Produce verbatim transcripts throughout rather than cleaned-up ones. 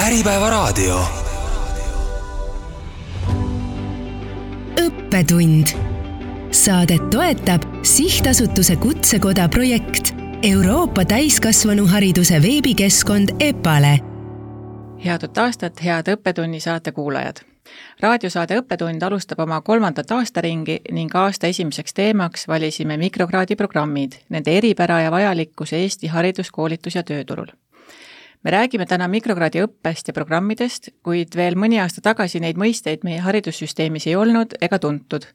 Äripäevaraadio. õppetund. Saadet toetab Sihtasutuse Kutsekoda projekt Euroopa täiskasvanuhariduse veebikeskkond EPALE. Head uut aastat, head õppetunni saate kuulajad. Raadiosaade Õppetund alustab oma kolmandat aastaringi ning aasta esimeseks teemaks valisime mikrokraadi programmid, nende eripära ja vajalikkus Eesti haridus, koolitus ja tööturul. Me räägime täna mikrokraadi õppest ja programmidest, kuid veel mõni aasta tagasi neid mõisteid meie haridussüsteemis ei olnud ega tuntud.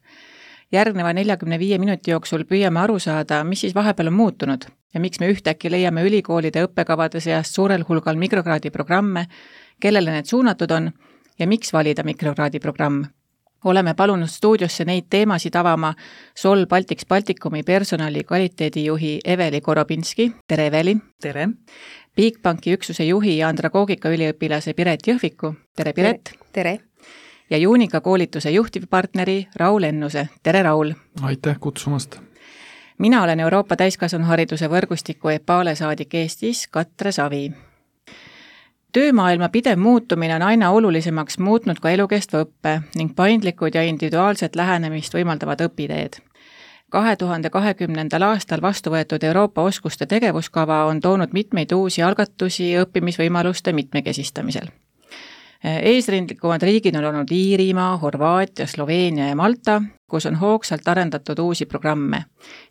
Järgneva neljakümne viie minuti jooksul püüame aru saada, mis siis vahepeal on muutunud ja miks me ühtäkki leiame ülikoolide õppekavade seast suurel hulgal mikrokraadi programme, kellele need suunatud on ja miks valida mikrokraadi programm. Oleme palunud stuudiosse neid teemasid avama Sol Baltics Baltikumi personali kvaliteedijuhi Eveli Korobinski. Tere, Eveli! Tere! Bigbanki üksuse juhi ja andragoogika üliõpilase Piret Jõhviku. Tere, Piret! Tere! Ja Juunika koolituse juhtivpartneri Raul Ennuse. Tere, Raul! Aitäh kutsumast! Mina olen Euroopa täiskasvanuhariduse võrgustiku EPALE saadik Eestis, Katre Savi. Töömaailma pidev muutumine on aina olulisemaks muutnud ka elukestva õppe ning paindlikud ja individuaalset lähenemist võimaldavad õpiteed. kahe tuhande kahekümnendal aastal vastu võetud Euroopa oskuste tegevuskava on toonud mitmeid uusi algatusi õppimisvõimaluste mitmekesistamisel. Eesrindlikumad riigid on olnud Iirimaa, Horvaatia, Sloveenia ja Malta, kus on hoogsalt arendatud uusi programme.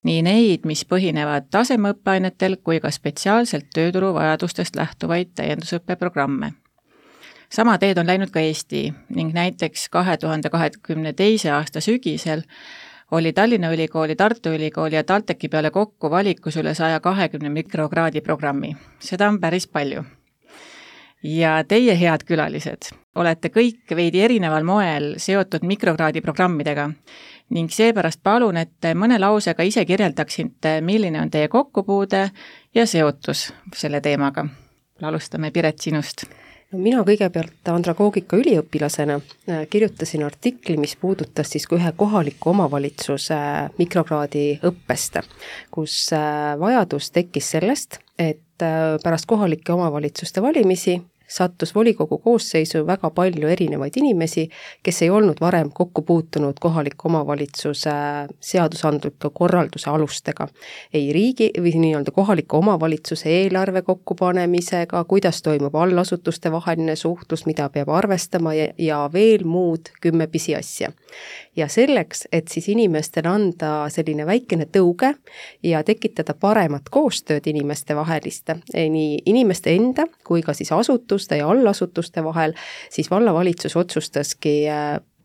Nii neid, mis põhinevad tasemeõppeainetel kui ka spetsiaalselt tööturu vajadustest lähtuvaid täiendusõppeprogramme. Sama teed on läinud ka Eesti ning näiteks kahe tuhande kahekümne teise aasta sügisel oli Tallinna Ülikooli, Tartu Ülikooli ja TalTechi peale kokku valikus üle saja kahekümne mikrokraadi programmi. Seda on päris palju. Ja teie head külalised, olete kõik veidi erineval moel seotud mikrokraadi programmidega ning seepärast palun, et mõne lausega ise kirjeldaksite, milline on teie kokkupuude ja seotus selle teemaga. Alustame, Piret, sinust. No, mina kõigepealt andragoogika üliõpilasena kirjutasin artikli, mis puudutas siis ühe kohaliku omavalitsuse mikrokraadi õppest, kus vajadus tekkis sellest, et pärast kohalike omavalitsuste valimisi sattus volikogu koosseisu väga palju erinevaid inimesi, kes ei olnud varem kokku puutunud kohaliku omavalitsuse seadusandliku korralduse alustega. Ei riigi või nii-öelda kohaliku omavalitsuse eelarve kokkupanemisega, kuidas toimub allasutuste vaheline suhtlus, mida peab arvestama ja, ja veel muud kümme pisi asja. Ja selleks, et siis inimestele anda selline väikene tõuge ja tekitada paremat koostööd inimeste vaheliste, nii inimeste enda kui ka siis asutuste ja allasutuste vahel, siis vallavalitsus otsustaski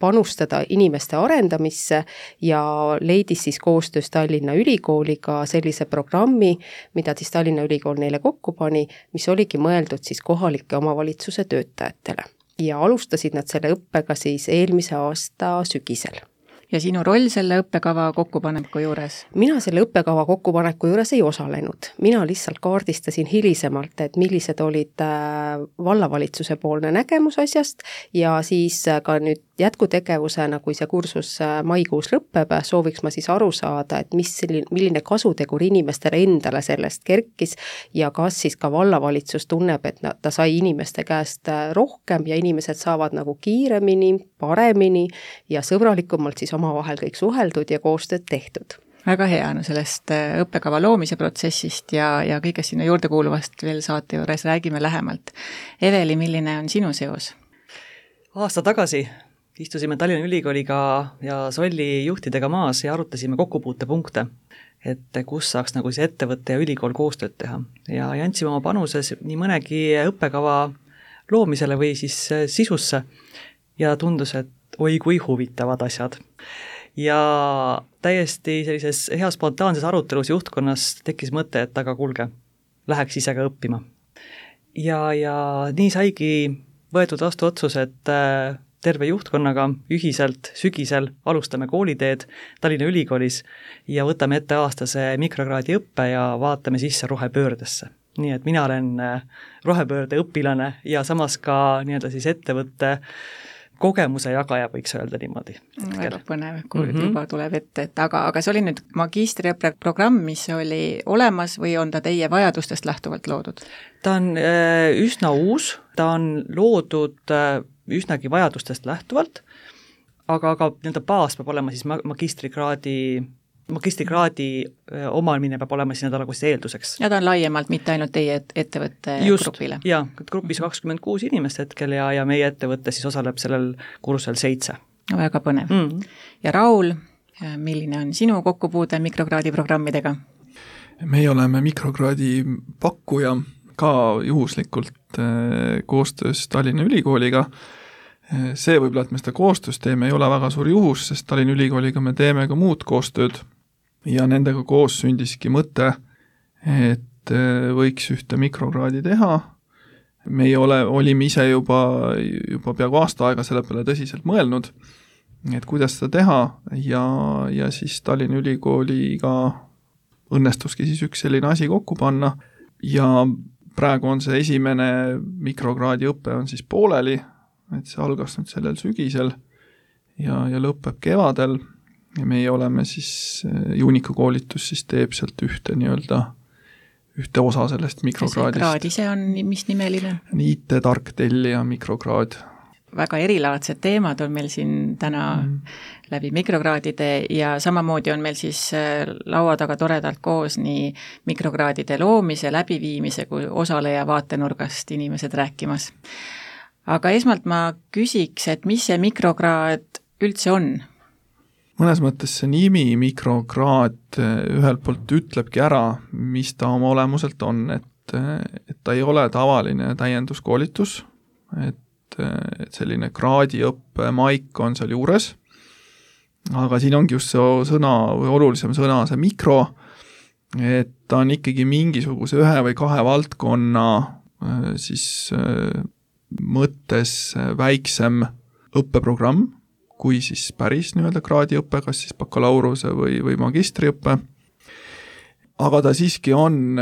panustada inimeste arendamisse ja leidis siis koostöös Tallinna Ülikooliga sellise programmi, mida siis Tallinna Ülikool neile kokku pani, mis oligi mõeldud siis kohalike omavalitsuse töötajatele. Ja alustasid nad selle õppega siis eelmise aasta sügisel. Ja sinu roll selle õppekava kokkupaneku juures? Mina selle õppekava kokkupaneku juures ei osalenud. Mina lihtsalt kaardistasin hilisemalt, et millised olid vallavalitsuse poolne nägemus asjast ja siis ka nüüd jätkutegevusena, kui see kursus maikuus lõppeb, sooviks ma siis aru saada, et mis selline, milline kasutegur inimestele endale sellest kerkis ja kas siis ka vallavalitsus tunneb, et ta sai inimeste käest rohkem ja inimesed saavad nagu kiiremini, paremini ja sõbralikumalt siis omavahel kõik suheldud ja koostööd tehtud. Väga hea, no sellest õppekava loomise protsessist ja, ja kõigest sinna juurde kuuluvast veel saate juures räägime lähemalt. Eveli, milline on sinu seos? Aasta tagasi istusime Tallinna Ülikooliga ja Solli juhtidega maas ja arutasime kokkupuutepunkte, et kus saaks nagu see ettevõtte ja ülikool koostööd teha. Ja, ja andsime oma panuses nii mõnegi õppekava loomisele või siis sisusse ja tundus, et oi kui huvitavad asjad. Ja täiesti sellises hea spontaanses arutelus juhtkonnas tekkis mõte, et aga kuulge, läheks ise ka õppima. Ja, ja nii saigi võetud vastu otsus, et terve juhtkonnaga ühiselt sügisel alustame kooliteed Tallinna Ülikoolis ja võtame ette aastase mikrokraadi õppe ja vaatame sisse rohepöördesse. Nii et mina olen rohepöörde õpilane ja samas ka nii-öelda siis ettevõtte kogemuse jagaja, võiks öelda niimoodi. Väga põnev, kui mm -hmm. juba tuleb ette, et aga, aga see oli nüüd magistriõppe programm, mis oli olemas või on ta teie vajadustest lähtuvalt loodud? Ta on üsna uus, ta on loodud üsnagi vajadustest lähtuvalt, aga, aga nii-öelda baas peab olema siis magistrikraadi magistrikraadi omamine peab olema siis nagu siis eelduseks. Ja ta on laiemalt, mitte ainult teie ettevõtte Just, grupile? Jaa, grupis kakskümmend kuus inimest hetkel ja, ja meie ettevõtte siis osaleb sellel kursusel seitse. Väga põnev. Mm. Ja Raul, milline on sinu kokkupuude mikrokraadi programmidega? Meie oleme mikrokraadi pakkuja ka juhuslikult koostöös Tallinna Ülikooliga. See võib-olla, et me seda koostöös teeme, ei ole väga suur juhus, sest Tallinna Ülikooliga me teeme ka muud koostööd ja nendega koos sündiski mõte, et võiks ühte mikrokraadi teha. Me ei ole, olime ise juba, juba peaaegu aasta aega selle peale tõsiselt mõelnud, et kuidas seda teha ja, ja siis Tallinna Ülikooliga õnnestuski siis üks selline asi kokku panna ja praegu on see esimene mikrokraadi õpe on siis pooleli, et see algas nüüd sellel sügisel ja, ja lõpeb kevadel ja meie oleme siis, Juunika koolitus siis teeb sealt ühte nii-öelda, ühte osa sellest mikrokraadist. See kraad ise on mis nimeline? I T-tarktellija mikrokraad. Väga erilaadsed teemad on meil siin täna mm. läbi mikrokraadide ja samamoodi on meil siis laua taga toredalt koos nii mikrokraadide loomise, läbiviimise kui osaleja vaatenurgast inimesed rääkimas. Aga esmalt ma küsiks, et mis see mikrokraad üldse on? Mõnes mõttes see nimi mikrokraad ühelt poolt ütlebki ära, mis ta oma olemuselt on, et, et ta ei ole tavaline täienduskoolitus, et, et selline kraadiõppe maik on seal juures, aga siin ongi just see sõna või olulisem sõna, see mikro, et ta on ikkagi mingisuguse ühe või kahe valdkonna siis mõttes väiksem õppeprogramm, kui siis päris nii-öelda kraadiõppe, kas siis bakalaureuse või, või magistriõppe. Aga ta siiski on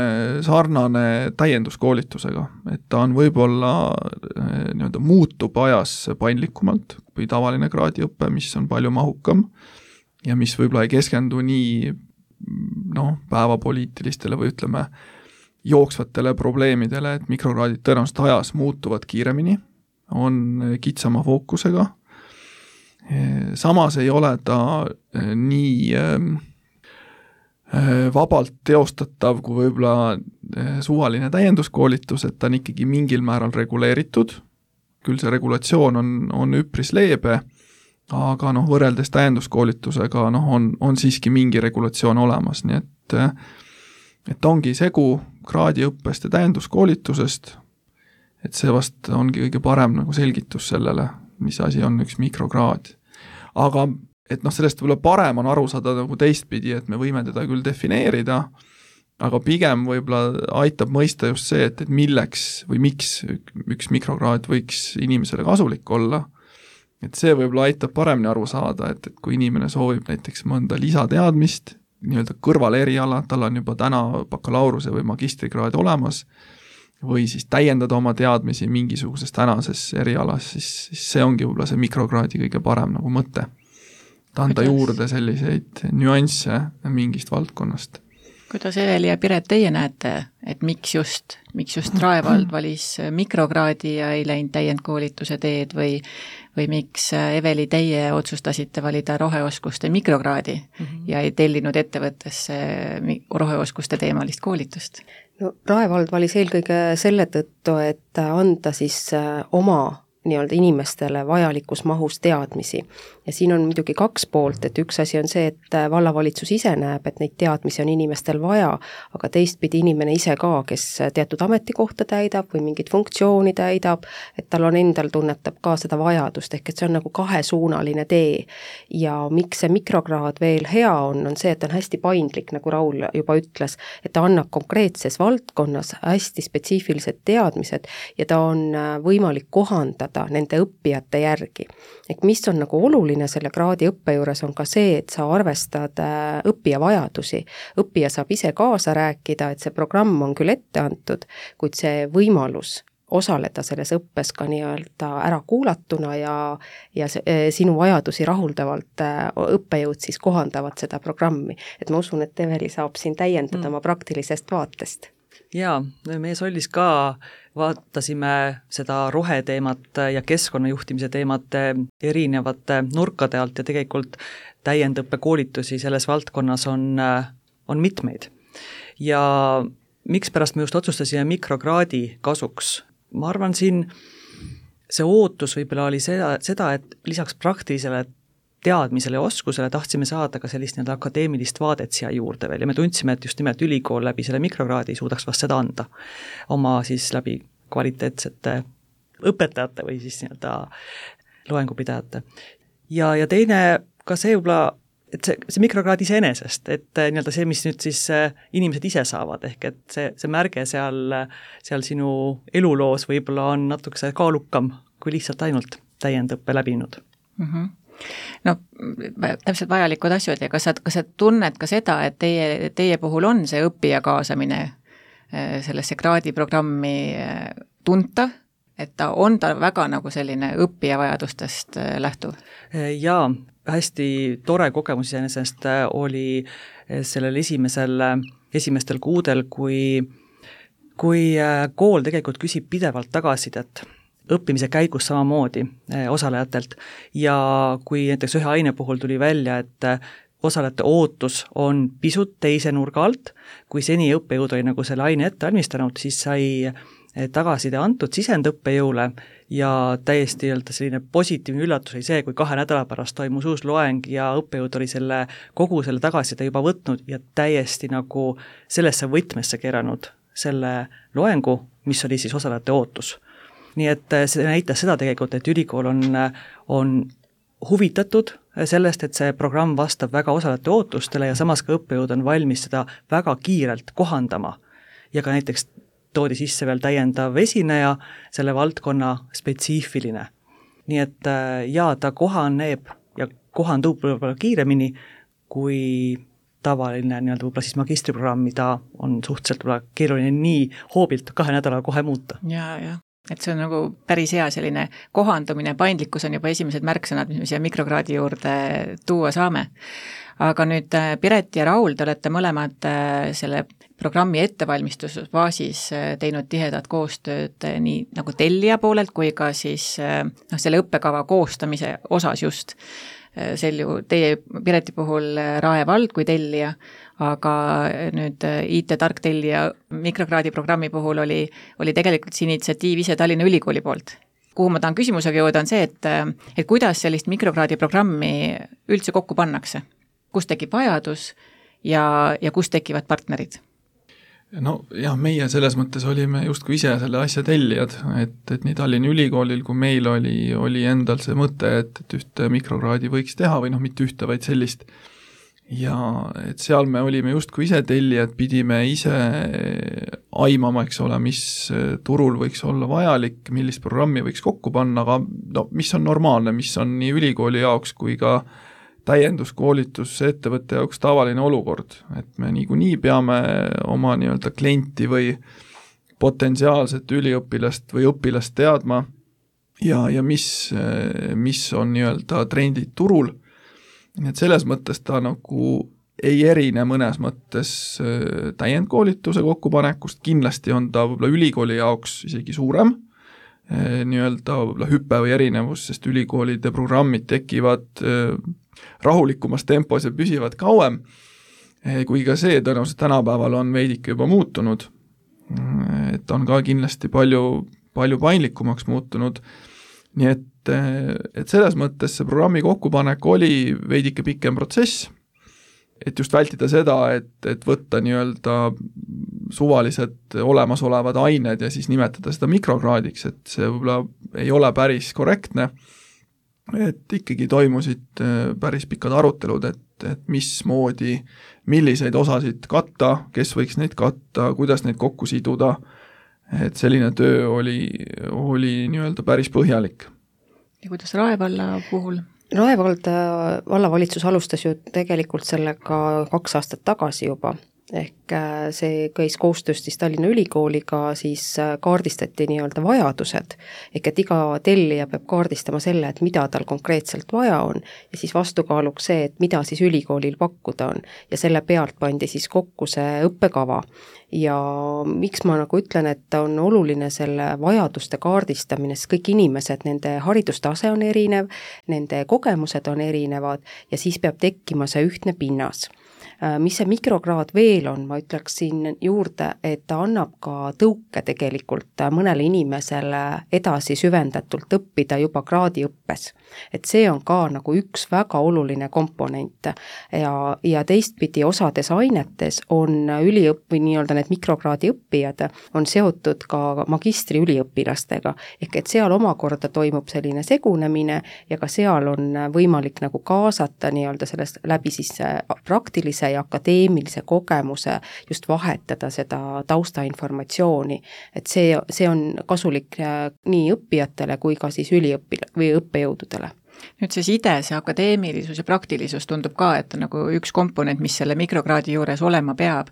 sarnane täienduskoolitusega, et ta on võib-olla nii-öelda muutub ajas paindlikumalt kui tavaline kraadiõppe, mis on palju mahukam ja mis võib-olla ei keskendu nii noh, päevapoliitilistele või ütleme jooksvatele probleemidele, et mikrokraadid tõenäoliselt ajas muutuvad kiiremini, on kitsama fookusega. Samas ei ole ta nii vabalt teostatav kui võib-olla suvaline täienduskoolitus, et ta on ikkagi mingil määral reguleeritud. Küll see regulatsioon on, on üpris leebe, aga noh, võrreldes täienduskoolitusega noh, on, on siiski mingi regulatsioon olemas, nii et et ongi segu kraadiõppest ja täienduskoolitusest, et see vast ongi kõige parem nagu selgitus sellele, mis asi on üks mikrokraad. Aga et noh, sellest võib-olla parem on aru saada nagu teistpidi, et me võime teda küll defineerida, aga pigem võib-olla aitab mõista just see, et, et milleks või miks üks mikrokraad võiks inimesele kasulik olla. Et see võib-olla aitab paremini aru saada, et, et kui inimene soovib näiteks mõnda lisateadmist, nii-öelda kõrval eriala, tal on juba täna bakalaureuse või magistrikraad olemas, või siis täiendada oma teadmisi mingisuguses tänases erialas, siis, siis see ongi võib-olla see mikrokraadi kõige parem nagu mõte. Ta anda Kuidas? juurde selliseid nüansse mingist valdkonnast. Kuidas Eveli ja Piret teie näete, et miks just, miks just Raevald valis mikrokraadi ja ei läinud täiendkoolituse teed või, või miks Eveli teie otsustasite valida roheoskuste mikrokraadi mm -hmm. ja ei tellinud ettevõttesse roheoskuste teemalist koolitust? No Raevald valis eelkõige selle tõttu, et anda siis oma nii-öelda inimestele vajalikus mahus teadmisi. Ja siin on muidugi kaks poolt, et üks asi on see, et vallavalitsus ise näeb, et neid teadmisi on inimestel vaja, aga teistpidi inimene ise ka, kes teatud ametikohta täidab või mingit funktsiooni täidab, et tal on endal tunnetab ka seda vajadust, ehk et see on nagu kahesuunaline tee. Ja miks see mikrokraad veel hea on, on see, et on hästi paindlik, nagu Raul juba ütles, et ta annab konkreetses valdkonnas hästi spetsiifilised teadmised ja ta on võimalik kohandada nende õppijate järgi. Ehk mis on nagu oluline selle kraadi õppe juures on ka see, et sa arvestad õppija vajadusi. Õppija saab ise kaasa rääkida, et see programm on küll ette antud, kuid see võimalus osaleda selles õppes ka nii-öelda ära kuulatuna ja, ja see, sinu vajadusi rahuldavalt õppejõud siis kohandavad seda programmi. Et ma usun, et Eveli saab siin täiendada mm. oma praktilisest vaatest. Jaa, meie Sollis ka vaatasime seda roheteemat ja keskkonnajuhtimise teemat erinevate nurkade alt ja tegelikult täiendõppekoolitusi selles valdkonnas on, on mitmeid. Ja miks pärast me just otsustasime mikrokraadi kasuks? Ma arvan, siin see ootus võib-olla oli seda, seda, et lisaks praktilisele teadmisele ja oskusele tahtsime saada ka sellist nii-öelda akadeemilist vaadet siia juurde veel ja me tundsime, et just nimelt ülikool läbi selle mikrokraadi suudaks vast seda anda oma siis läbi kvaliteetsete õpetajate või siis nii-öelda loengupidajate. Ja, ja teine ka see võib-olla, et see, see mikrokraad iseenesest, et nii-öelda see, mis nüüd siis inimesed ise saavad, ehk et see, see märge seal, seal sinu eluloos võib-olla on natukese kaalukam kui lihtsalt ainult täiendõppe läbinud. Mhm. No täpselt vajalikud asjad ja kas sa, kas sa tunned ka seda, et teie, teie puhul on see õppija kaasamine sellesse kraadiprogrammi tuntav, et ta on ta väga nagu selline õppija vajadustest lähtuv? Jaa, hästi tore kogemus iseenesest oli sellel esimesel, esimestel kuudel, kui, kui kool tegelikult küsib pidevalt tagasisidet õppimise käigus samamoodi osalejatelt ja kui näiteks ühe aine puhul tuli välja, et osalejate ootus on pisut teise nurga alt, kui seni õppejõud oli nagu selle aine ette valmistanud, siis sai tagasiside antud sisendõppejõule ja täiesti öelda selline positiivne üllatus oli see, kui kahe nädala pärast toimus uus loeng ja õppejõud oli selle, kogu selle tagasiside juba võtnud ja täiesti nagu sellesse võtmesse keeranud selle loengu, mis oli siis osalejate ootus. Nii et see näitas seda tegelikult, et ülikool on, on huvitatud sellest, et see programm vastab väga osalejate ootustele ja samas ka õppejõud on valmis seda väga kiirelt kohandama. Ja ka näiteks toodi sisse veel täiendav esineja, selle valdkonna spetsiifiline. Nii et jaa, ta kohaneb ja kohandub võib-olla kiiremini kui tavaline nii-öelda võib-olla siis magistriprogramm, mida on suhteliselt võib-olla keeruline nii hoobilt kahe nädala kohe muuta. Jaa, jah. Et see on nagu päris hea selline kohandumine, paindlikkus on juba esimesed märksõnad, mis me siia mikrokraadi juurde tuua saame. Aga nüüd Piret ja Raul, te olete mõlemad selle programmi ettevalmistusfaasis teinud tihedat koostööd nii nagu tellija poolelt kui ka siis no, selle õppekava koostamise osas just. Sel ju teie Pireti puhul Rae vald kui tellija, aga nüüd I T-tark tellija mikrokraadi programmi puhul oli, oli tegelikult see initsiatiiv ise Tallinna Ülikooli poolt. Kuhu ma tahan küsimusega jõuda on see, et, et kuidas sellist mikrokraadi programmi üldse kokku pannakse? Kus tekib vajadus ja, ja kus tekivad partnerid? No jah, meie selles mõttes olime justkui ise selle asja tellijad, et, et nii Tallinna Ülikoolil kui meil oli, oli endal see mõte, et, et ühte mikrokraadi võiks teha või noh, mitte ühte, vaid sellist. Ja et seal me olime justkui ise tellijad, pidime ise aimama, eks ole, mis turul võiks olla vajalik, millist programmi võiks kokku panna, aga no, mis on normaalne, mis on nii ülikooli jaoks kui ka täienduskoolitus ettevõtte jaoks tavaline olukord, et me niikuinii peame oma nii-öelda klienti või potentsiaalset üliõpilast või õpilast teadma ja, ja mis, mis on nii-öelda trendid turul. Et selles mõttes ta nagu ei erine mõnes mõttes täiendkoolituse kokkupanekust, kindlasti on ta võib-olla ülikooli jaoks isegi suurem, nii-öelda võib-olla hüpe või erinevus, sest ülikoolide programmid tekivad rahulikumas tempos ja püsivad kauem, kui ka see tõenäoliselt tänapäeval on veidike juba muutunud, et on ka kindlasti palju, palju paindlikumaks muutunud, nii et, et selles mõttes see programmi kokkupanek oli veidike pikem protsess, et just vältida seda, et, et võtta nii-öelda suvalised olemasolevad ained ja siis nimetada seda mikrokraadiks, et see võib-olla ei ole päris korrektne, et ikkagi toimusid päris pikad arutelud, et, et mismoodi, milliseid osasid katta, kes võiks neid katta, kuidas neid kokku siduda, et selline töö oli, oli nii-öelda päris põhjalik. Ja kuidas Rae valla puhul? Rae valda, vallavalitsus alustas ju tegelikult sellega kaks aastat tagasi juba ehk see käis koostöös siis Tallinna Ülikooliga, siis kaardistati nii-öelda vajadused, ehk et iga tellija peab kaardistama selle, et mida tal konkreetselt vaja on ja siis vastukaaluks see, et mida siis ülikoolil pakkuda on ja selle pealt pandi siis kokku see õppekava. Ja miks ma nagu ütlen, et on oluline selle vajaduste kaardistamine, sest kõik inimesed, nende haridustase on erinev, nende kogemused on erinevad ja siis peab tekkima see ühtne pinnas. Mis see mikrokraad veel on, ma ütleks siin juurde, et ta annab ka tõuke tegelikult mõnele inimesele edasi süvendatult õppida juba kraadiõppes. Et see on ka nagu üks väga oluline komponent ja, ja teistpidi osades ainetes on üliõpp- või nii-öelda need mikrokraadi õppijad on seotud ka magistri üliõpilastega, ehk et seal omakorda toimub selline segunemine ja ka seal on võimalik nagu kaasata nii-öelda sellest läbi siis praktilise ja akadeemilise kogemuse just vahetada seda taustainformatsiooni, et see, see on kasulik nii õppijatele kui ka siis üliõpil- või õppejõududele. Nüüd see side, see akadeemilisus ja praktilisus tundub ka, et on nagu üks komponent, mis selle mikrokraadi juures olema peab.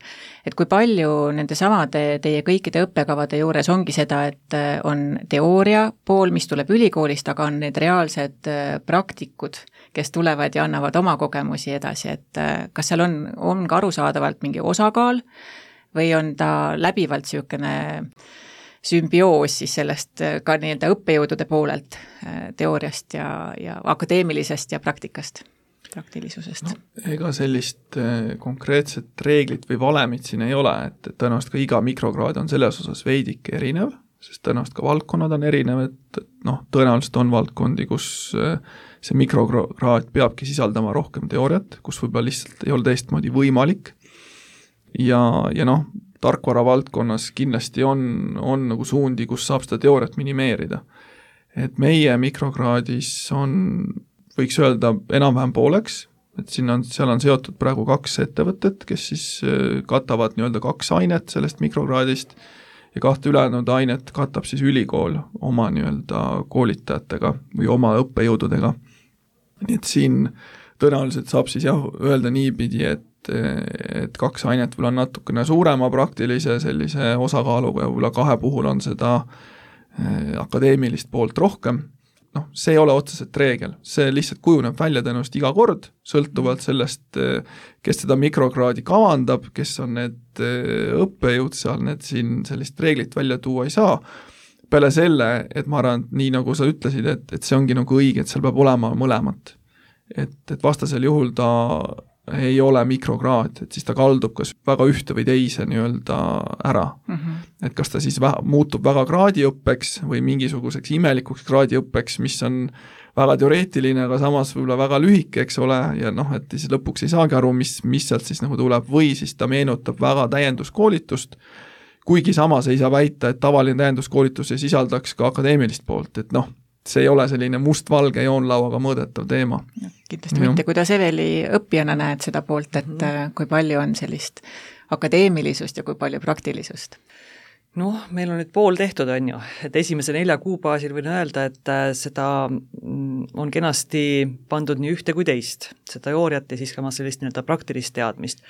Et kui palju nende samade teie kõikide õppekavade juures ongi seda, et on teooria pool, mis tuleb ülikoolist, aga on need reaalsed praktikud, kes tulevad ja annavad oma kogemusi edasi, et kas seal on, on ka arusaadavalt mingi osakaal või on ta läbivalt niisugune sümbioos siis sellest ka nii-öelda õppejõudude poolelt teooriast ja, ja akadeemilisest ja praktikast, praktilisusest? No, ega sellist konkreetset reeglit või valemit siin ei ole, et tõenäoliselt ka iga mikrokraad on selles osas veidike erinev, sest tõenäoliselt ka valdkonnad on erinev, et noh, tõenäoliselt on valdkondi, kus see mikrokraad peabki sisaldama rohkem teooriat, kus võib-olla lihtsalt ei ole teistmoodi võimalik ja, ja noh, tarkvara valdkonnas kindlasti on, on nagu suundi, kus saab seda teooriat minimeerida. Et meie mikrokraadis on, võiks öelda, enam-vähem pooleks, et siin on, seal on seotud praegu kaks ettevõtet, kes siis katavad nii-öelda kaks ainet sellest mikrokraadist ja kahte ülejäänud ainet katab siis ülikool oma nii-öelda koolitajatega või oma õppejõududega. Nii et siin tõenäoliselt saab siis jah öelda niipidi, et et kaks ainet võib-olla on natukene suurema praktilise sellise osakaaluga ja võib-olla kahe puhul on seda akadeemilist poolt rohkem. Noh, see ei ole otseselt reegel, see lihtsalt kujuneb välja tõenäoliselt iga kord, sõltuvalt sellest, kes seda mikrokraadi kavandab, kes on need õppejõud seal, need siin sellist reeglit välja tuua ei saa. Peale selle, et ma arvan, nii nagu sa ütlesid, et, et see ongi nagu õige, et seal peab olema mõlemat. Et, et vastasel juhul ta ei ole mikrokraad, et siis ta kaldub kas väga ühte või teise nii-öelda ära. Mm-hmm. Et kas ta siis vähe, muutub väga kraadiõppeks või mingisuguseks imelikuks kraadiõppeks, mis on väga teoreetiline, aga samas võib-olla väga lühike, eks ole, ja noh, et siis lõpuks ei saagi aru, mis, mis sealt siis nagu tuleb, või siis ta meenutab väga täienduskoolitust, kuigi samas ei saa väita, et tavaline täienduskoolitus ei sisaldaks ka akadeemilist poolt, et noh, see ei ole selline must-valge joonlauaga mõõdetav teema. Kindlasti ja. Mitte, kuidas Eveli õppijana näed seda poolt, et mm-hmm. kui palju on sellist akadeemilisust ja kui palju praktilisust? Noh, meil on nüüd pool tehtud, on ju, et esimese nelja kuu baasil võin öelda, et seda on kenasti pandud nii ühte kui teist, seda teooriat ja siis ka sellist nii-öelda praktilist teadmist.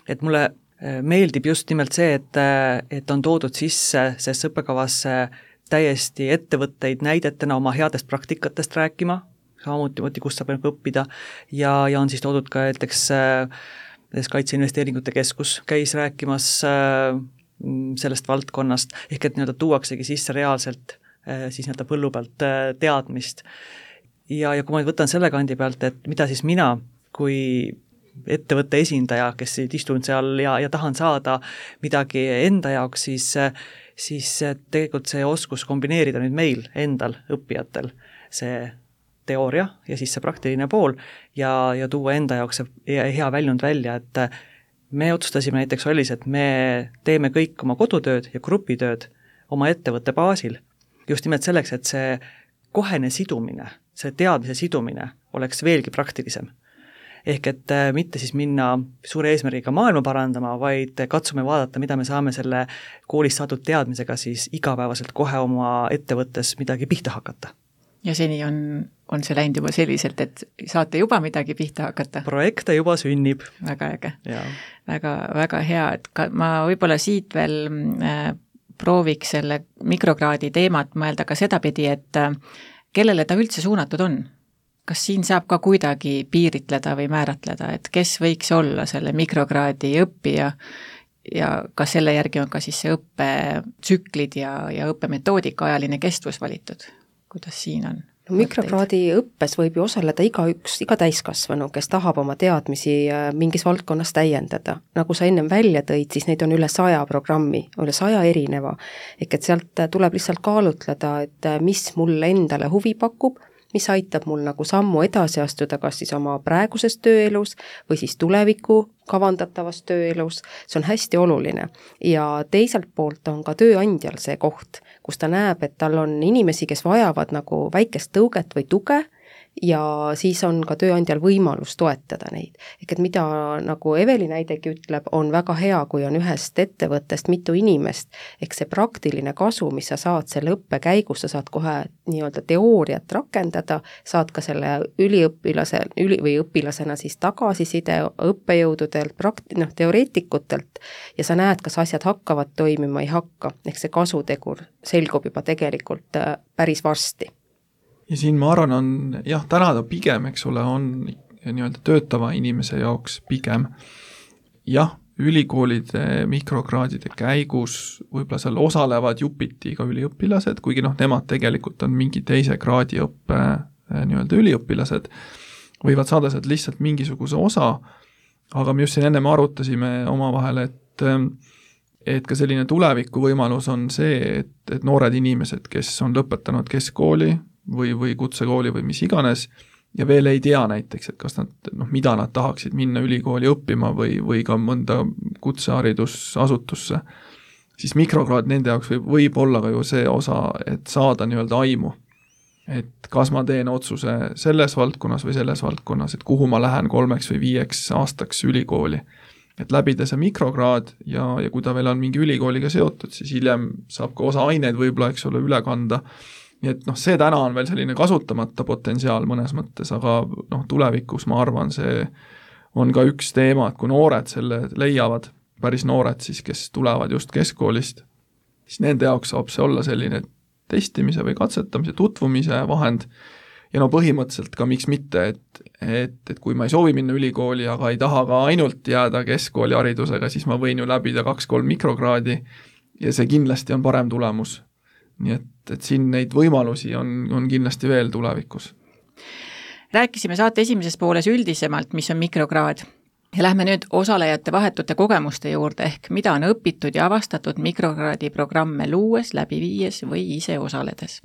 Et mulle meeldib just nimelt see, et, et on toodud sisse sest õppekavasse täiesti ettevõtteid näidetena oma headest praktikatest rääkima, samamoodi, kus saab õppida ja, ja on siis toodud ka näiteks Kaitseinvesteeringute Keskus käis rääkimas sellest valdkonnast, ehk et nii-öelda tuuaksegi sisse reaalselt siis nii-öelda põllu pealt teadmist. Ja, ja kui ma võtan selle kandi pealt, et mida siis mina kui ettevõtte esindaja, kes istun seal ja, ja tahan saada midagi enda jaoks, siis siis tegelikult see oskus kombineerida nüüd meil endal, õppijatel, see teooria ja siis see praktiline pool ja, ja tuua enda jaoks see hea väljund välja, et me otsustasime näiteks ollis, et me teeme kõik oma kodutööd ja grupitööd oma ettevõtte baasil, just nimelt selleks, et see kohene sidumine, see teadmise sidumine oleks veelgi praktilisem. Ehk et mitte siis minna suure eesmärgiga maailma parandama, vaid katsume vaadata, mida me saame selle koolist saadud teadmisega siis igapäevaselt kohe oma ettevõttes midagi pihta hakata. ja seni on, on see läinud juba selliselt, et saate juba midagi pihta hakata? Projekte juba sünnib. Väga äge. Väga, väga hea, et ka, ma võib-olla siit veel äh, prooviks selle mikrokraadi teemat mõelda ka sedapidi, et äh, kellele ta üldse suunatud on? Kas siin saab ka kuidagi piiritleda või määratleda, et kes võiks olla selle mikrokraadi õppija ja kas selle järgi on ka siis see õppetsüklid ja, ja õppemetoodika ajaline kestvus valitud? Kuidas siin on? No, mikrokraadi õppes võib ju osaleda igaüks, iga täiskasvanu, kes tahab oma teadmisi mingis valdkonnas täiendada. Nagu sa ennem välja tõid, siis neid on üle saja programmi, üle saja erineva. Ehk et sealt tuleb lihtsalt kaalutleda, et mis mulle endale huvi pakub, mis aitab mul nagu sammu edasi astuda, kas siis oma praeguses tööelus või siis tuleviku kavandatavas tööelus, see on hästi oluline. Ja teiselt poolt on ka tööandjal see koht, kus ta näeb, et tal on inimesi, kes vajavad nagu väikest tõuget või tuge, ja siis on ka tööandjal võimalus toetada neid. Ehk et mida nagu Eveli näidegi ütleb, on väga hea, kui on ühest ettevõttest mitu inimest, ehk see praktiline kasu, mis sa saad selle õppe käigus, sa saad kohe nii-öelda teooriat rakendada, saad ka selle üliõpilase üli, või õpilasena siis tagasiside õppejõududelt, prakt-, noh, teoreetikutelt ja sa näed, kas asjad hakkavad toimima, ei hakka, ehk see kasutegur selgub juba tegelikult päris varsti. Ja siin ma arvan on, jah, täna ta pigem, eks ole, on nii-öelda töötava inimese jaoks pigem. Jah, ülikoolide mikrokraadide käigus võib-olla seal osalevad jupiti ka üliõpilased, kuigi noh, nemad tegelikult on mingi teise kraadi õppe nii-öelda üliõpilased, võivad saada sealt lihtsalt mingisuguse osa, aga me just siin enne arutasime omavahel, et et ka selline tuleviku võimalus on see, et, et noored inimesed, kes on lõpetanud keskkooli, või, või kutsekooli või mis iganes ja veel ei tea näiteks, et kas nad, noh, mida nad tahaksid minna ülikooli õppima või, või ka mõnda kutseharidusasutusse, siis mikrokraad nende jaoks võib, võib olla ka ju see osa, et saada nii-öelda aimu. Et kas ma teen otsuse selles valdkonnas või selles valdkonnas, et kuhu ma lähen kolmeks või viieks aastaks ülikooli. Et läbida see mikrokraad ja, ja kui ta veel on mingi ülikooliga seotud, siis hiljem saab ka osa aineid võib-olla, eks ole, üle kanda. Nii et noh, see täna on veel selline kasutamata potentsiaal mõnes mõttes, aga noh, tulevikus ma arvan, see on ka üks teema, et kui noored selle leiavad, päris noored siis, kes tulevad just keskkoolist, siis nende jaoks saab see olla selline testimise või katsetamise, tutvumise vahend ja no põhimõtteliselt ka miks mitte, et, et, et kui ma ei soovi minna ülikooli, aga ei taha ka ainult jääda keskkooli haridusega, siis ma võin ju läbida kaks-kolm mikrokraadi ja see kindlasti on parem tulemus. Nii et, et siin neid võimalusi on, on kindlasti veel tulevikus. Rääkisime saate esimeses pooles üldisemalt, mis on mikrokraad ja lähme nüüd osalejate vahetute kogemuste juurde ehk mida on õpitud ja avastatud mikrokraadi programme luues, läbi viies või ise osaledes.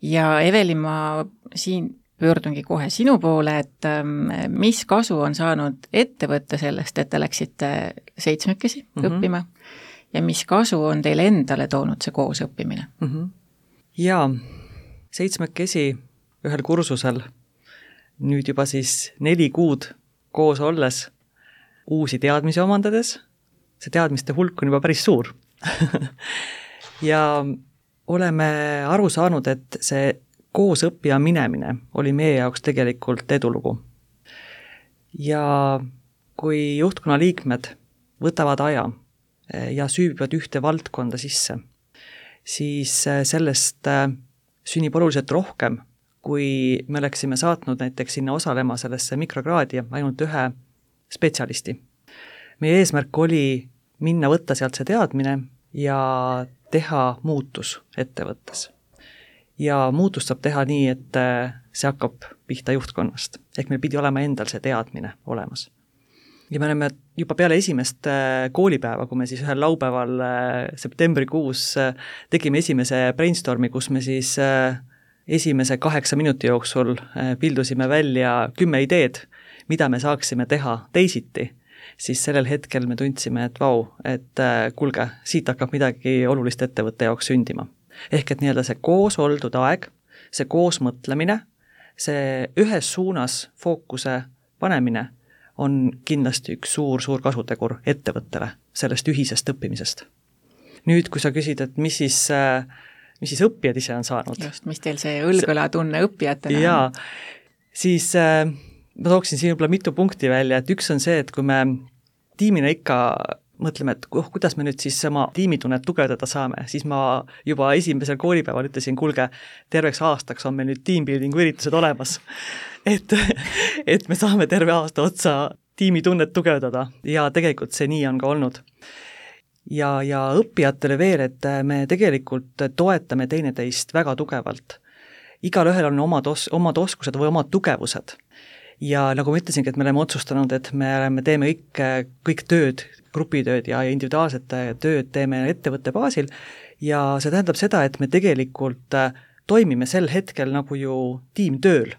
Ja Eveli, ma siin pöördungi kohe sinu poole, et mis kasu on saanud ettevõtte sellest, et te läksite seitsmekesi mm-hmm. õppima ja mis kasu on teile endale toonud see koos õppimine? Mm-hmm. Jaa, seitsmekesi ühel kursusel, nüüd juba siis neli kuud koos olles, uusi teadmisi omandades, see teadmiste hulk on juba päris suur. Ja oleme aru saanud, et see koos õppija minemine oli meie jaoks tegelikult edulugu. Ja kui juhtkonna liikmed võtavad aja ja süübivad ühte valdkonda sisse, siis sellest sünnib oluliselt rohkem, kui me oleksime saatnud näiteks sinna osalema sellesse mikrokraadi ainult ühe spetsialisti. Meie eesmärk oli minna võtta sealt see teadmine ja teha muutus ettevõttes. Ja muutust saab teha nii, et see hakkab pihta juhtkonnast. Ehk meil pidi olema endal see teadmine olemas. Ja me oleme juba peale esimest koolipäeva, kui me siis ühel laupäeval septembrikuus tegime esimese brainstormi, kus me siis esimese kaheksa minuti jooksul pildusime välja kümme ideed, mida me saaksime teha teisiti, siis sellel hetkel me tundsime, et vau, et kulge, siit hakkab midagi olulist ettevõtte jaoks sündima. Ehk et nii-öelda see koos oldud aeg, see koos mõtlemine, see ühes suunas fookuse panemine on kindlasti üks suur-suur kasutegur ettevõttele sellest ühisest õppimisest. Nüüd, kui sa küsid, et mis siis mis siis õppijad ise on saanud. Just, mis teil see õlgõlatunne õppijatena jaa, siis äh, ma tooksin siin võib-olla mitu punkti välja, et üks on see, et kui me tiimina ikka mõtleme, et oh, kuidas me nüüd siis oma tiimitunnet tugevdada saame, siis ma juba esimesel koolipäeval ütlesin, kuulge, terveks aastaks on meil nüüd teambuildingu üritused olemas. Et, et me saame terve aasta otsa tiimitunnet tugevdada ja tegelikult see nii on ka olnud. Ja, ja õppijatele veel, et me tegelikult toetame teineteist väga tugevalt. Igal ühel on omad, os- omad oskused või omad tugevused. Ja nagu ma ütlesingi, et me oleme otsustanud, et me oleme, teeme kõik, kõik tööd, grupitööd ja individuaalset tööd teeme ettevõtte baasil ja see tähendab seda, et me tegelikult toimime sel hetkel nagu ju tiimtööl.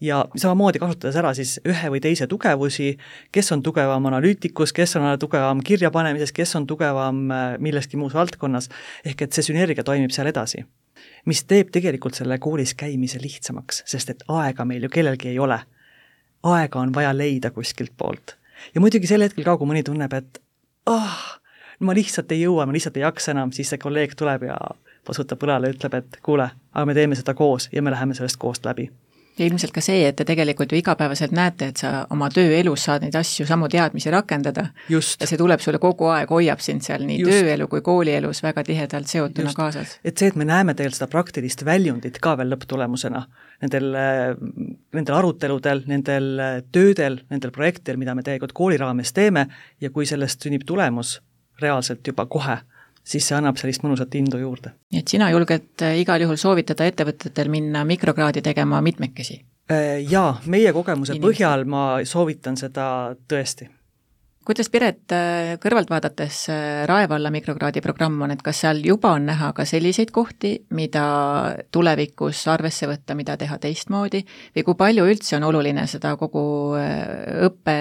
Ja samamoodi kasutades ära siis ühe või teise tugevusi, kes on tugevam analüütikus, kes on tugevam kirjapanemises, kes on tugevam milleski muus valdkonnas, ehk et see sünergia toimib seal edasi. Mis teeb tegelikult selle koolis käimise lihtsamaks, sest et aega meil ju kellelgi ei ole. Aega on vaja leida kuskilt poolt. Ja muidugi sel hetkel ka, kui mõni tunneb, et ah, ma lihtsalt ei jõua, ma lihtsalt ei jaksa enam, siis see kolleeg tuleb ja pasutab põlale ja ütleb, et kuule, aga me teeme seda koos ja me läheme sellest koost läbi. Ja ilmselt ka see, et te tegelikult ju igapäevaselt näete, et sa oma tööelus saad neid asju samu teadmisi rakendada. Just. Ja see tuleb sulle kogu aeg, hoiab sind seal nii Just. Tööelu kui koolielus väga tihedalt seotuna Just. Kaasas. Et see, et me näeme tegelikult seda praktilist väljundit ka veel lõpptulemusena, nendel, nendel aruteludel, nendel töödel, nendel projektidel, mida me tegelikult kooli raames teeme ja kui sellest sünnib tulemus reaalselt juba kohe, siis see annab sellist mõnusat indu juurde. Nii et sina julged igal juhul soovitada ettevõtetel minna mikrokraadi tegema mitmekesi? Jaa, meie kogemuse Inimesed. Põhjal ma soovitan seda tõesti. Kuidas, Piret, kõrvalt vaadates Rae valla mikrokraadi programm on, et kas seal juba on näha ka selliseid kohti, mida tulevikus arvesse võtta, mida teha teistmoodi, või kui palju üldse on oluline seda kogu õppe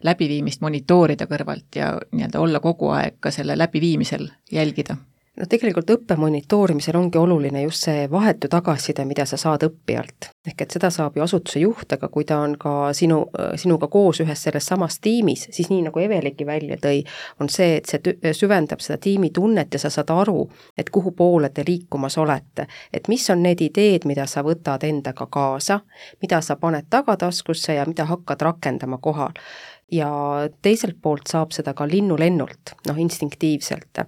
läbiviimist monitoorida kõrvalt ja nii-öelda olla kogu aeg ka selle läbiviimisel jälgida? No tegelikult õppe monitoorimisel ongi oluline just see vahetu tagasiside, mida sa saad õppijalt. Ehk et seda saab ju asutuse juht, aga kui ta on ka sinu, sinuga koos ühes selles samas tiimis, siis nii nagu Eveliki välja tõi, on see, et see süvendab seda tiimi tunnet ja sa saad aru, et kuhu poole te liikumas olete. Et mis on need ideed, mida sa võtad endaga kaasa, mida sa paned tagataskusse ja mida hakkad rakendama kohal. Ja teiselt poolt saab seda ka linnulennult, noh instinktiivselt.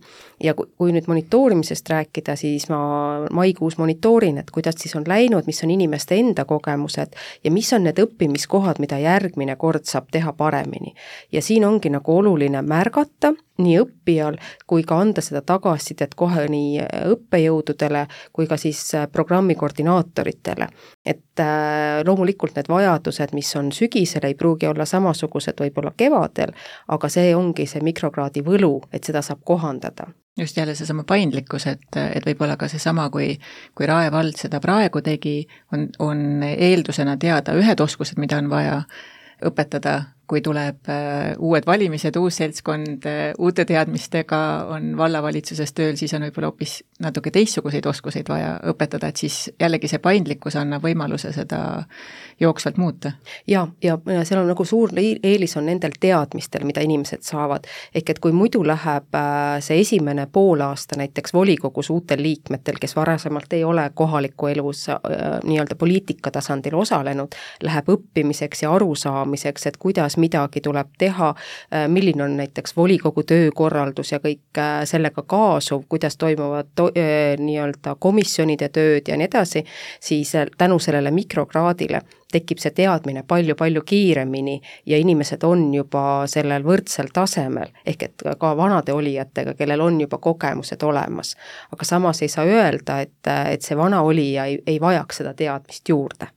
Ja kui nüüd monitoorimisest rääkida, siis ma maikuus monitoorin, et kuidas siis on läinud, mis on inimeste enda kogemused ja mis on need õppimiskohad, mida järgmine kord saab teha paremini. Ja siin ongi nagu oluline märgata nii õppijal kui ka anda seda tagasisidet kohe nii õppejõududele kui ka siis programmi koordinaatoritele. Et loomulikult need vajadused, mis on sügisel, ei pruugi olla samasugused võib-olla kevadel, aga see ongi see mikrokraadi võlu, et seda saab kohandada. Just jälle see sama paindlikkus, et, et võib-olla ka see sama, kui, kui Rae vald seda praegu tegi, on, on eeldusena teada ühed oskused, mida on vaja õpetada, kui tuleb uued valimised, uus seltskond, uute teadmistega on vallavalitsuses tööl, siis on võib-olla hoopis natuke teistsuguseid oskuseid vaja õpetada, et siis jällegi see paindlikkus annab võimaluse seda jooksvalt muuta. Ja, ja seal on nagu suur eelis on nendel teadmistel, mida inimesed saavad. Ehk et kui muidu läheb see esimene poolaasta näiteks volikogus uutel liikmetel, kes varasemalt ei ole kohaliku elus nii-öelda poliitika tasandil osalenud, läheb õppimiseks ja arusaamiseks, et kuidas midagi tuleb teha, milline on näiteks volikogu töökorraldus ja kõik sellega kaasuv, kuidas toimuvad to- nii-öelda komisjonide tööd ja nii edasi, siis tänu sellele mikrokraadile tekib see teadmine palju-palju kiiremini ja inimesed on juba sellel võrdsel tasemel, ehk et ka vanade olijatega, kellel on juba kogemused olemas. Aga samas ei saa öelda, et, et see vana olija ei, ei vajaks seda teadmist juurde.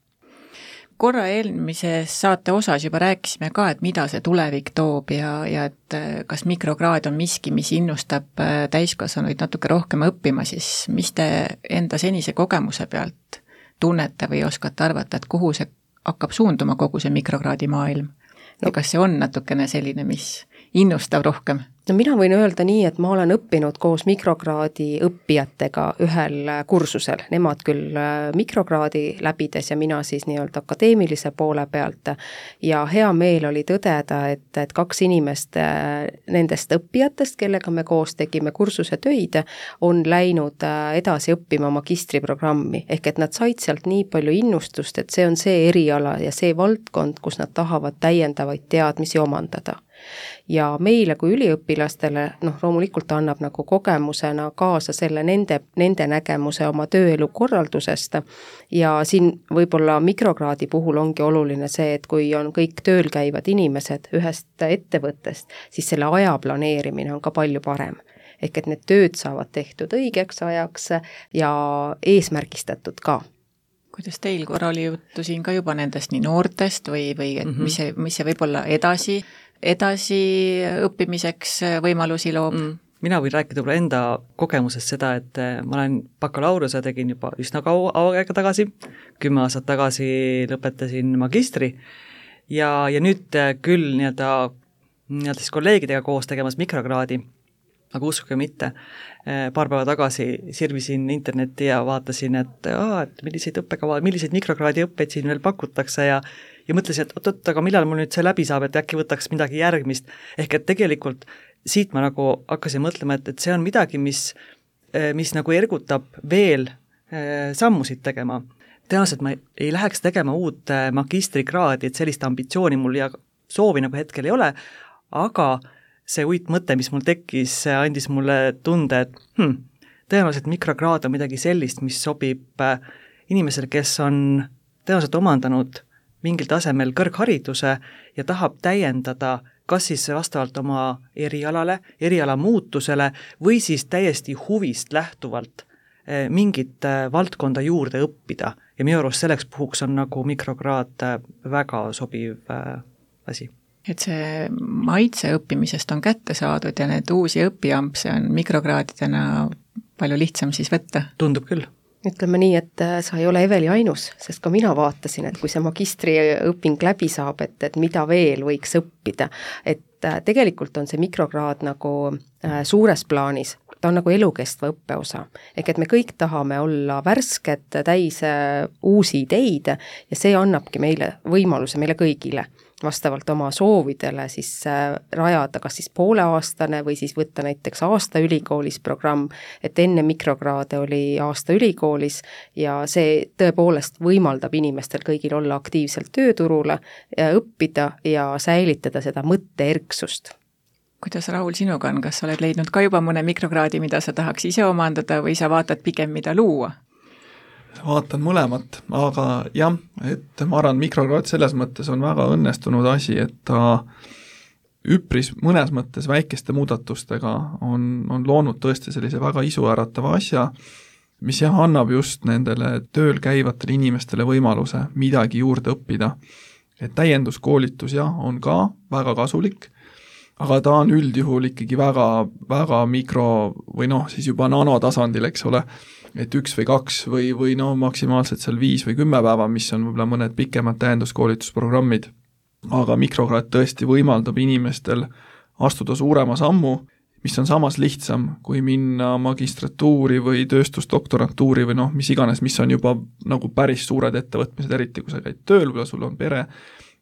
Korra eelmises saate osas juba rääkisime ka, et mida see tulevik toob ja, ja et kas mikrokraad on miski, mis innustab täiskasvanuid natuke rohkem õppima, siis mis te enda senise kogemuse pealt tunnete või oskate arvata, et kuhu see hakkab suunduma kogu see mikrokraadi maailm? No. Ja kas see on natukene selline, mis innustav rohkem? No mina võin öelda nii, et ma olen õppinud koos mikrokraadi õppijatega ühel kursusel, nemad küll mikrokraadi läbides ja mina siis nii-öelda akadeemilise poole pealt ja hea meel oli tõdeda, et, et kaks inimest nendest õppijatest, kellega me koos tegime kursuse töid, on läinud edasi õppima magistriprogrammi, ehk et nad said sealt nii palju innustust, et see on see eriala ja see valdkond, kus nad tahavad täiendavaid teadmisi omandada. Ja meile kui üliõpilastele, noh, loomulikult annab nagu kogemusena kaasa selle nende, nende nägemuse oma tööelu korraldusest ja siin võib-olla mikrokraadi puhul ongi oluline see, et kui on kõik tööl käivad inimesed ühest ettevõttest, siis selle aja planeerimine on ka palju parem. Ehk et need tööd saavad tehtud õigeks ajaks ja eesmärgistatud ka. Kuidas teil korra oli juttu siin ka juba nendest nii noortest või, või et mm -hmm. mis see, mis see võib-olla edasi edasi õppimiseks võimalusi loob? Mm. Mina võin rääkida võib-olla enda kogemusest seda, et ma olen bakalaureuse tegin juba üsna kaua aega tagasi, kümme aastat tagasi lõpetasin magistri ja, ja nüüd küll nii-öelda, nii-öelda siis kolleegidega koos tegemas mikrokraadi, aga uskuge mitte, paar päeva tagasi sirvisin internetti ja vaatasin, et, aa, et milliseid õppekava, milliseid mikrokraadi õppeid siin veel pakutakse ja ja mõtlesin, et oot-oot, aga millal mul nüüd see läbi saab, et äkki võtaks midagi järgmist. Ehk et tegelikult siit ma nagu hakkasin mõtlema, et, et see on midagi, mis, mis nagu ergutab veel sammusid tegema. Tõenäoliselt ma ei läheks tegema uut magistrikraadi, et sellist ambitsiooni mul ja soovi nagu hetkel ei ole, aga see uit mõte, mis mul tekkis, andis mulle tunde, et hm, tõenäoliselt mikrokraad on midagi sellist, mis sobib inimesele, kes on tõenäoliselt omandanud mingil tasemel kõrghariduse ja tahab täiendada kas siis vastavalt oma erialale, eriala muutusele või siis täiesti huvist lähtuvalt mingit valdkonda juurde õppida. Ja minu arust selleks puhuks on nagu mikrokraad väga sobiv asi. Et see maitse õppimisest on kätte saadud ja need uusi õppiampse on mikrokraadidena palju lihtsam siis võtta? Tundub küll. Ütleme nii, et sa ei ole Eveli ainus, sest ka mina vaatasin, et kui see magistriõping läbi saab, et, et mida veel võiks õppida. Et tegelikult on see mikrokraad nagu suures plaanis, ta on nagu elukestva õppeosa. Ehk et me kõik tahame olla värsked, täis uusi ideid ja see annabki meile võimaluse meile kõigile vastavalt oma soovidele siis rajada kas siis pooleaastane või siis võtta näiteks aasta ülikoolis programm, et enne mikrokraade oli aasta ülikoolis ja see tõepoolest võimaldab inimestel kõigil olla aktiivselt tööturule ja õppida ja säilitada seda mõtteerksust. Kuidas Raul sinuga on, kas sa oled leidnud ka juba mõne mikrokraadi, mida sa tahaks ise omandada või sa vaatad pigem, mida luua? Vaatan mõlemat, aga jah, et ma arvan, mikrokraad selles mõttes on väga õnnestunud asi, et ta üpris mõnes mõttes väikeste muudatustega on, on loonud tõesti sellise väga isuäratava asja, mis jah, annab just nendele tööl käivatele inimestele võimaluse midagi juurde õppida. Et täienduskoolitus jah, on ka väga kasulik, aga ta on üldjuhul ikkagi väga, väga mikro või noh, siis juba nanotasandil, eks ole, et üks või kaks või, või no maksimaalselt seal viis või kümme päeva, mis on võib-olla mõned pikemad täienduskoolitusprogrammid. Aga mikrokraad tõesti võimaldab inimestel astuda suurema sammu, mis on samas lihtsam, kui minna magistratuuri või tööstusdoktorantuuri või noh, mis iganes, mis on juba nagu päris suured ettevõtmised, eriti kui sa käid tööl või sul on pere,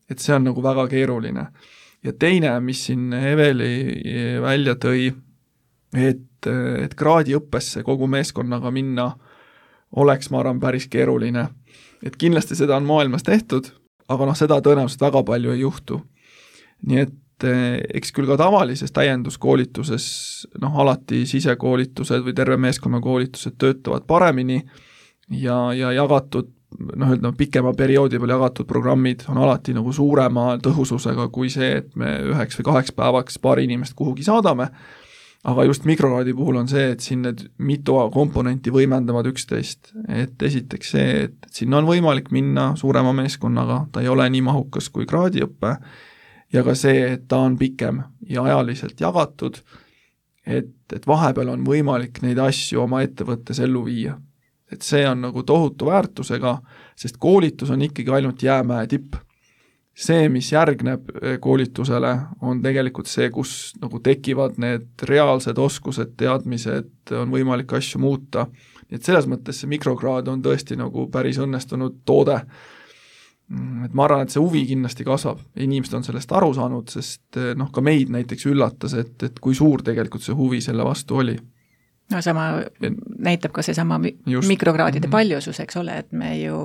et see on nagu väga keeruline. Ja teine, mis siin Eveli välja tõi, et, et kraadiõppesse kogu meeskonnaga minna oleks, ma arvan, päris keeruline. Et kindlasti seda on maailmas tehtud, aga noh, seda tõenäoliselt väga palju ei juhtu. Nii et eks küll ka tavalises täienduskoolituses, noh, alati sisekoolitused või terve meeskonnakoolitused töötavad paremini ja, ja jagatud, noh, ütleme, pikema perioodi peal jagatud programmid on alati nagu suurema tõhususega kui see, et me üheks või kaheks päevaks paari inimest kuhugi saadame, aga just mikrokraadi puhul on see, et siin need mitu komponenti võimendavad üksteist, et esiteks see, et sinna on võimalik minna suurema meeskonnaga, ta ei ole nii mahukas kui kraadiõppe, ja ka see, et ta on pikem ja ajaliselt jagatud, et, et vahepeal on võimalik neid asju oma ettevõttes ellu viia. Et see on nagu tohutu väärtusega, sest koolitus on ikkagi ainult jäämäe tipp. see, mis järgneb koolitusele, on tegelikult see, kus nagu tekivad need reaalsed oskused, teadmised, on võimalik asju muuta. Nii et selles mõttes see mikrokraad on tõesti nagu päris õnnestunud toode. Et ma arvan, et see huvi kindlasti kasvab. Inimesed on sellest aru saanud, sest noh, ka meid näiteks üllatas, et, et kui suur tegelikult see huvi selle vastu oli. No sama näitab ka see sama Just. mikrokraadide mm-hmm. paljusus, eks ole, et me ju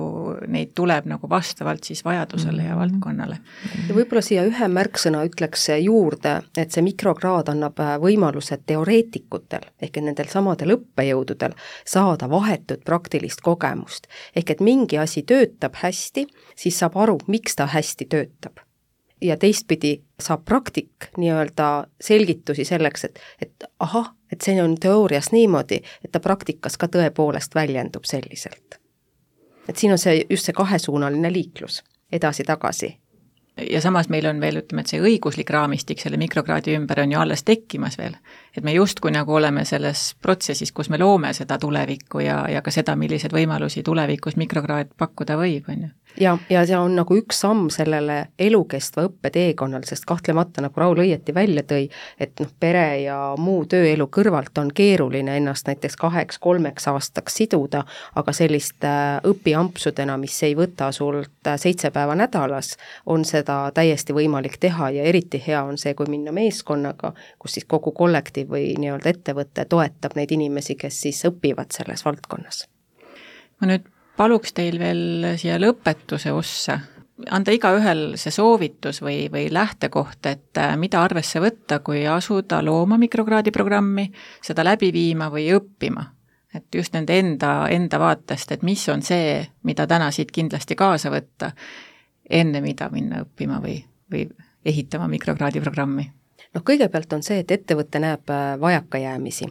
neid tuleb nagu vastavalt siis vajadusele mm-hmm. ja valdkonnale. Ja võib-olla siia ühe märksõna ütleks juurde, et see mikrokraad annab võimaluse teoreetikutel ehk nendel samadel õppejõududel saada vahetut praktilist kogemust. Ehk et mingi asi töötab hästi, siis saab aru, miks ta hästi töötab. Ja teistpidi saab praktik nii-öelda selgitusi selleks, et, et ahah, et see on teoorias niimoodi, et ta praktikas ka tõepoolest väljendub selliselt. Et siin on see just see kahesuunaline liiklus edasi-tagasi. Ja samas meil on veel, ütleme, et see õiguslik raamistik selle mikrokraadi ümber on ju alles tekkimas veel. Et me justkui nagu oleme selles protsessis, kus me loome seda tulevikku ja, ja ka seda, millised võimalusi tulevikus mikrokraad pakkuda võib, on ju. Ja, ja see on nagu üks samm sellele elukestva õppeteekonnal, sest kahtlemata, nagu Raul õieti välja tõi, et noh, pere ja muu tööelu kõrvalt on keeruline ennast näiteks kaheks, kolmeks aastaks siduda, aga sellist õpiampsudena, mis ei võta sult seitse päeva nädalas, on seda täiesti võimalik teha ja eriti hea on see, kui minna meeskonnaga, kus siis kogu kollektiiv või nii-öelda ettevõte toetab neid inimesi, kes siis õpivad selles valdkonnas. Ma nüüd paluks teil veel siia lõpetuse ossa anda igaühel see soovitus või, või lähtekoht, et mida arvesse võtta, kui asuda looma mikrokraadi programmi, seda läbi viima või õppima. Et just nende enda, enda vaatest, et mis on see, mida täna siit kindlasti kaasa võtta, enne mida minna õppima või, või ehitama mikrokraadi programmi. No kõigepealt on see, et ettevõte näeb vajakajäämisi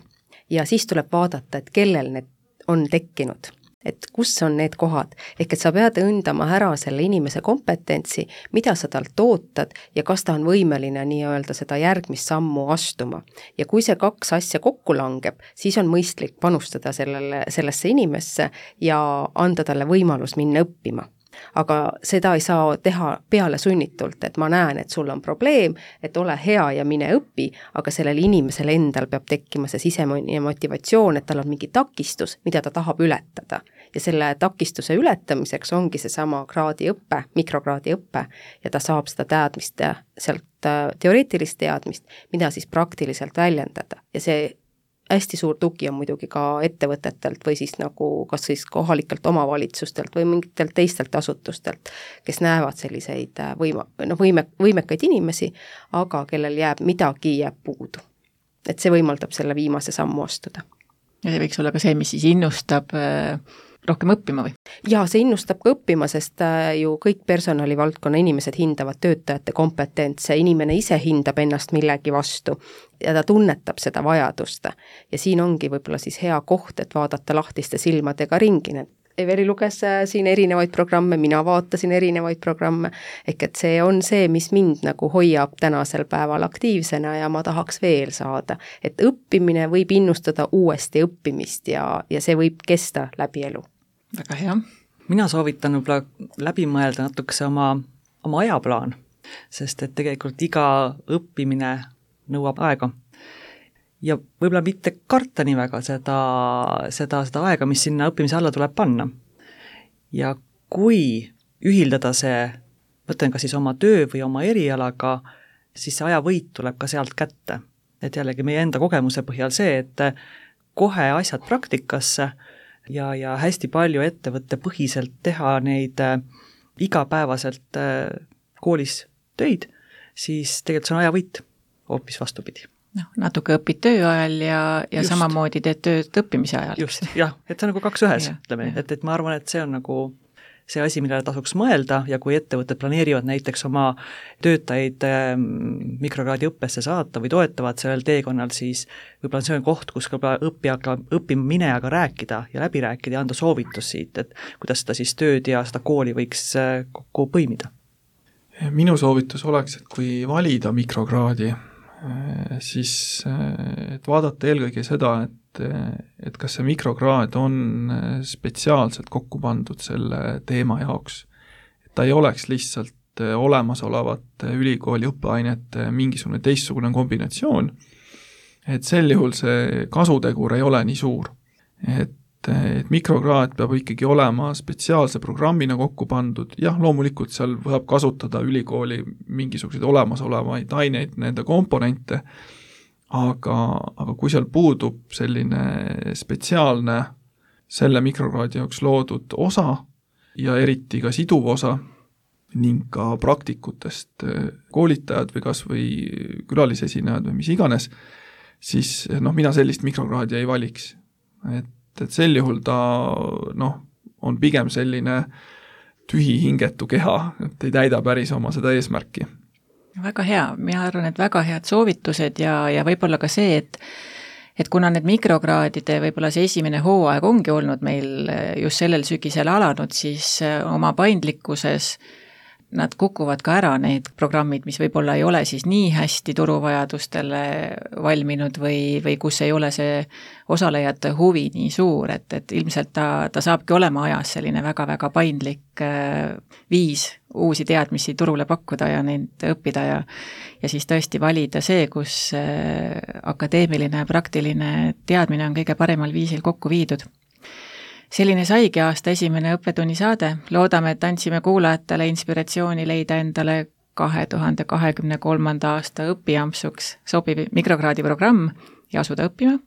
ja siis tuleb vaadata, et kellel need on tekkinud. Et kus on need kohad, ehk et sa pead õndama ära selle inimese kompetentsi, mida sa talt ootad ja kas ta on võimeline nii-öelda seda järgmist sammu astuma. Ja kui see kaks asja kokku langeb, siis on mõistlik panustada sellele, sellesse inimesse ja anda talle võimalus minna õppima. Aga seda ei saa teha peale sunnitult, et ma näen, et sul on probleem, et ole hea ja mine õpi, aga sellel inimesel endal peab tekkima see sisemine motivatsioon, et tal on mingi takistus, mida ta tahab ületada. Ja selle takistuse ületamiseks ongi see sama kraadi õppe, mikrokraadi õppe ja ta saab seda teadmist, sealt teoreetilist teadmist, mida siis praktiliselt väljendada. Ja see hästi suur tugi on muidugi ka ettevõtetelt või siis nagu kas siis kohalikelt omavalitsustelt või mingitelt teistelt asutustelt, kes näevad selliseid võima, no võime, võimekaid inimesi, aga kellel jääb midagi jääb puudu. Et see võimaldab selle viimase sammu astuda. Ja see võiks olla ka see, mis siis innustab rohkem õppima või? Ja see innustab ka õppima, sest ju kõik personalivaldkonna inimesed hindavad töötajate kompetentse, inimene ise hindab ennast millegi vastu ja ta tunnetab seda vajadust. Ja siin ongi võib-olla siis hea koht, et vaadata lahtiste silmadega ringi. Eveli luges siin erinevaid programme, mina vaatasin erinevaid programme, ehk et see on see, mis mind nagu hoiab tänasel päeval aktiivsena ja ma tahaks veel saada. Et õppimine võib innustada uuesti õppimist ja, ja see võib kesta läbi elu. Väga hea. Mina soovitan võib-olla läbi mõelda natukese oma, oma ajaplaan, sest et tegelikult iga õppimine nõuab aega. Ja võib-olla mitte karta nii väga seda, seda, seda aega, mis sinna õppimise alla tuleb panna. Ja kui ühildada see, mõtlen ka siis oma töö või oma erialaga, siis see ajavõit tuleb ka sealt kätte. Et jällegi meie enda kogemuse põhjal see, et kohe asjad praktikasse ja, ja hästi palju ettevõtte põhiselt teha neid äh, igapäevaselt äh, koolis töid, siis tegelikult see on ajavõit hoopis vastupidi. No, natuke õpid töö ajal ja, ja samamoodi teed tööd õppimise ajal. Just, jah, et see on nagu kaks ühes, ütleme, et, et ma arvan, et see on nagu see asi, millele tasuks mõelda ja kui ettevõtted planeerivad näiteks oma töötajaid mikrokraadi õppesse saata või toetavad sellel teekonnal, siis võib-olla see on koht, kus ka õppijaga, õppima minejaga rääkida ja läbi rääkida ja anda soovitus siit, et kuidas seda siis tööd ja seda kooli võiks kokku põimida. Minu soovitus oleks, et kui valida mikrokraadi, siis et vaadata eelkõige seda, et, et kas see mikrokraad on spetsiaalselt kokku pandud selle teema jaoks. Et ta ei oleks lihtsalt olemasolevate ülikooli õppeainete mingisugune teistsugune kombinatsioon, et sel juhul see kasutegur ei ole nii suur. Et, et mikrokraad peab ikkagi olema spetsiaalse programmina kokku pandud, jah, loomulikult seal võivad kasutada ülikooli mingisuguseid olemasolevaid aineid, nende komponente, aga, aga kui seal puudub selline spetsiaalne selle mikrokraadi jaoks loodud osa ja eriti ka siduv osa ning ka praktikutest koolitajad või kas või külalisesinejad või mis iganes, siis noh, mina sellist mikrokraadi ei valiks. Et, et sel juhul ta noh, on pigem selline tühi hingetu keha, et ei täida päris oma seda eesmärki. Väga hea, mina arvan, et väga head soovitused ja, ja võib-olla ka see, et et kuna need mikrokraadide võib-olla see esimene hooaeg ongi olnud meil just sellel sügisel alanud, siis oma paindlikkuses nad kukuvad ka ära, need programmid, mis võib-olla ei ole siis nii hästi turuvajadustele valminud või, või kus ei ole see osalejate huvi nii suur, et, et ilmselt ta, ta saabki olema ajas selline väga-väga paindlik viis uusi teadmisi turule pakkuda ja neid õppida ja, ja siis tõesti valida see, kus akadeemiline ja praktiline teadmine on kõige paremal viisil kokku viidud. Selline saigi aasta esimene õppetunni saade. Loodame, et andsime kuulajatele inspiratsiooni leida endale kahe tuhande kahekümne kolmanda aasta õpijampsuks sobiv mikrokraadi programm ja asuda õppima.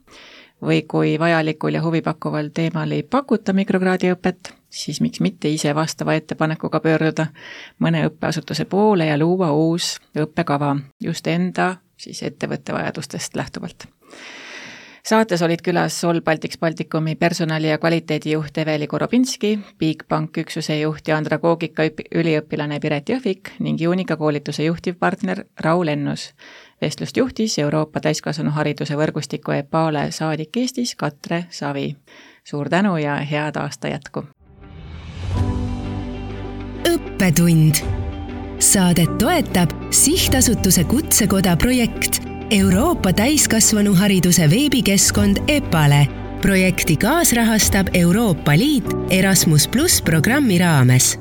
Või kui vajalikul ja huvipakkuval teemal ei pakuta mikrokraadi õpet, siis miks mitte ise vastava ettepanekuga pöörduda mõne õppeasutuse poole ja luua uus õppekava just enda siis ettevõtte vajadustest lähtuvalt. Saates olid külas Sol Baltics Balticumi personali- ja kvaliteedijuht Eveli Korobinski, Bigbank üksuse juht ja andragoogika üliõpilane Piret Jõhvik ning Juunika koolituse juhtivpartner Raul Ennus. Vestlust juhtis Euroopa täiskasvanuhariduse võrgustiku EPALE saadik Eestis Katre Savi. Suur tänu ja head aasta jätku! Õppetund. Saadet toetab Sihtasutuse Kutsekoda projekt Euroopa täiskasvanuhariduse veebikeskkond EPALE. Projekti kaasrahastab Euroopa Liit Erasmus plus programmi raames.